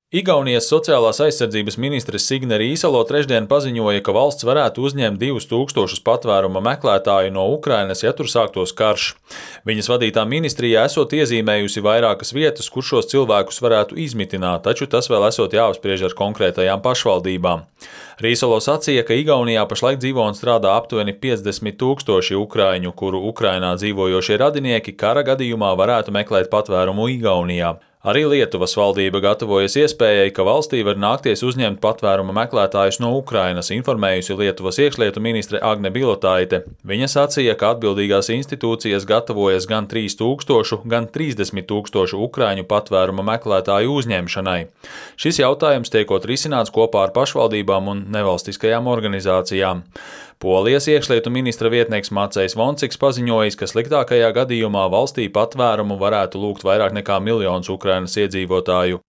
Igaunijas sociālās aizsardzības ministre Signe Rīsalo trešdien paziņoja, ka valsts varētu uzņemt 2000 patvēruma meklētāju no Ukrainas, ja tur sāktos karš. Viņas vadītā ministrijā esot iezīmējusi vairākas vietas, kur šos cilvēkus varētu izmitināt, taču tas vēl esot jāapspriež ar konkrētajām pašvaldībām. Rīsalo sacīja, ka Igaunijā pašlaik dzīvo un strādā aptuveni 50 000 ukraiņu, kuru Ukrainā dzīvojošie radinieki kara gadījumā varētu meklēt patvērumu Igaunijā. Arī Lietuvas valdība gatavojas iespējai, ka valstī var nākties uzņemt patvēruma meklētājus no Ukrainas, informējusi Lietuvas iekšlietu ministre Agne Bilotaite. Viņa sacīja, ka atbildīgās institūcijas gatavojas gan 3000, gan 30 000 ukraiņu patvēruma meklētāju uzņemšanai. Šis jautājums tiekot risināts kopā ar pašvaldībām un nevalstiskajām organizācijām. Polijas iekšlietu ministra vietnieks Macejs Vonciks paziņojis, ka sliktākajā gadījumā valstī patvērumu varētu lūgt vairāk nekā 1 000 000 Ukrainas iedzīvotāju.